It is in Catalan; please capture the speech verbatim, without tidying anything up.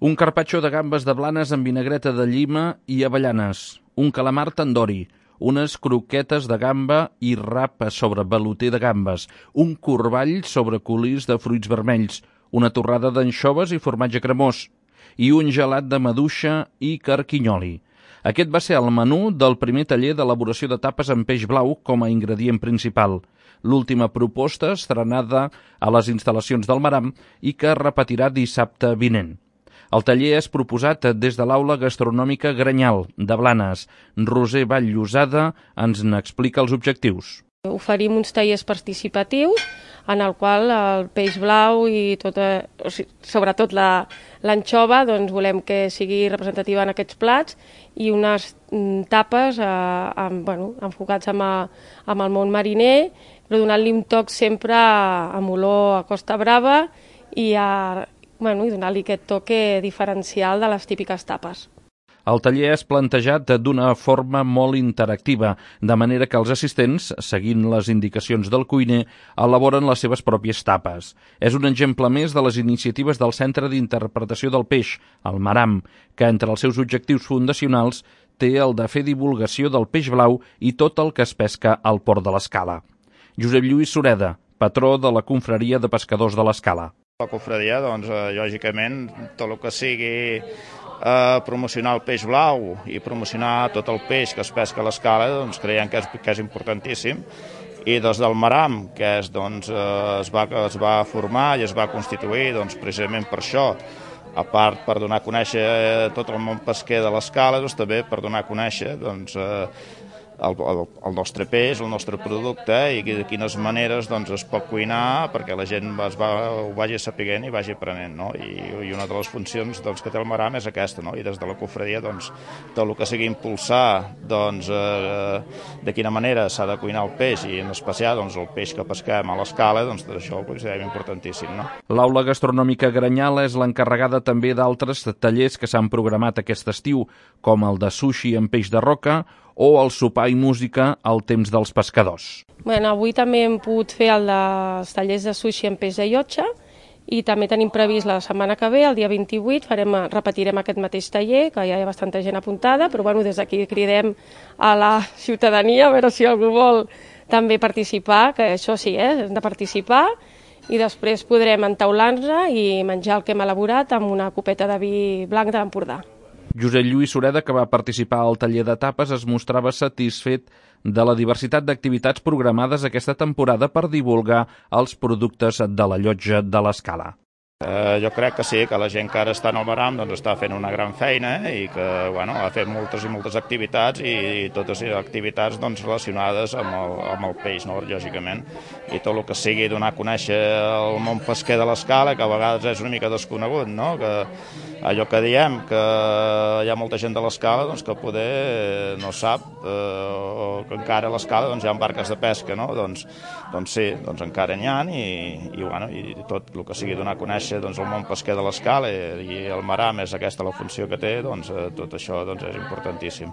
Un carpaccio de gambes de Blanes amb vinagreta de llima i avellanes, un calamar tandori, unes croquetes de gamba i rap sobre veluter de gambes, un corball sobre colís de fruits vermells, una torrada d'anxoves i formatge cremós, i un gelat de maduixa i carquinyoli. Aquest va ser el menú del primer taller d'elaboració de tapes amb peix blau com a ingredient principal. L'última proposta estrenada a les instal·lacions del Maram i que es repetirà dissabte vinent. El taller és proposat des de l'Aula Gastronòmica Granyal, de Blanes. Roser Vall-Llosada ens n'explica els objectius. Oferim uns tallers participatius en el qual el peix blau i tota, o sigui, sobretot l'anxova, doncs volem que sigui representativa en aquests plats i unes tapes eh, amb, bueno, enfocats amb, a, amb el món mariner, però donant-li un toc sempre amb olor a Costa Brava i a Bueno, i donar-li aquest toque diferencial de les típiques tapes. El taller és plantejat d'una forma molt interactiva, de manera que els assistents, seguint les indicacions del cuiner, elaboren les seves pròpies tapes. És un exemple més de les iniciatives del Centre d'Interpretació del Peix, el Maram, que entre els seus objectius fundacionals té el de fer divulgació del peix blau i tot el que es pesca al port de l'Escala. Josep Lluís Sureda, patró de la Confraria de Pescadors de l'Escala. La confraria, doncs, eh, lògicament, tot el que sigui eh, promocionar el peix blau i promocionar tot el peix que es pesca a l'Escala, doncs creiem que és, que és importantíssim. I des del Maram, que és, doncs, eh, es, va, es va formar i es va constituir doncs, precisament per això, a part per donar a conèixer tot el món pesquer de l'Escala, doncs, també per donar a conèixer doncs, eh, El, el, el nostre peix, el nostre producte i de quines maneres doncs, es pot cuinar perquè la gent es va, ho vagi sapiguent i vagi aprenent. No? I, I una de les funcions doncs, que té el Maram és aquesta, no? I des de la confraria doncs, tot el que sigui impulsar doncs, eh, de quina manera s'ha de cuinar el peix i en especial doncs, el peix que pesquem a l'Escala, doncs això ho considerem importantíssim. No? L'Aula Gastronòmica Granyal és l'encarregada també d'altres tallers que s'han programat aquest estiu, com el de sushi amb peix de roca o el sopar i música al temps dels pescadors. Bueno, avui també hem pogut fer el dels tallers de sushi amb peix de llotja i també tenim previst la setmana que ve, el dia vint-i-vuit, farem, repetirem aquest mateix taller, que ja hi ha bastanta gent apuntada, però bueno, des d'aquí cridem a la ciutadania a veure si algú vol també participar, que això sí, eh, hem de participar, i després podrem entaular-nos i menjar el que hem elaborat amb una copeta de vi blanc d'Empordà. Josep Lluís Sureda, que va participar al taller de tapes, es mostrava satisfet de la diversitat d'activitats programades aquesta temporada per divulgar els productes de la llotja de l'Escala. Eh, jo crec que sí, que la gent que ara està en el Maram doncs, està fent una gran feina i que bueno, ha fet moltes i moltes activitats i, i totes les activitats doncs, relacionades amb el, amb el peix, no? Lògicament. I tot el que sigui donar a conèixer el món pesquer de l'Escala, que a vegades és una mica desconegut, no? Que allò que diem, que hi ha molta gent de l'Escala doncs, que poder no sap, eh, o que encara a l'Escala doncs, hi ha barques de pesca, no? Doncs, doncs sí, doncs encara n'hi ha i, i, bueno, i tot el que sigui donar a conèixer doncs, el món pesquer de l'Escala i el Maram és aquesta la funció que té, doncs tot això doncs, és importantíssim.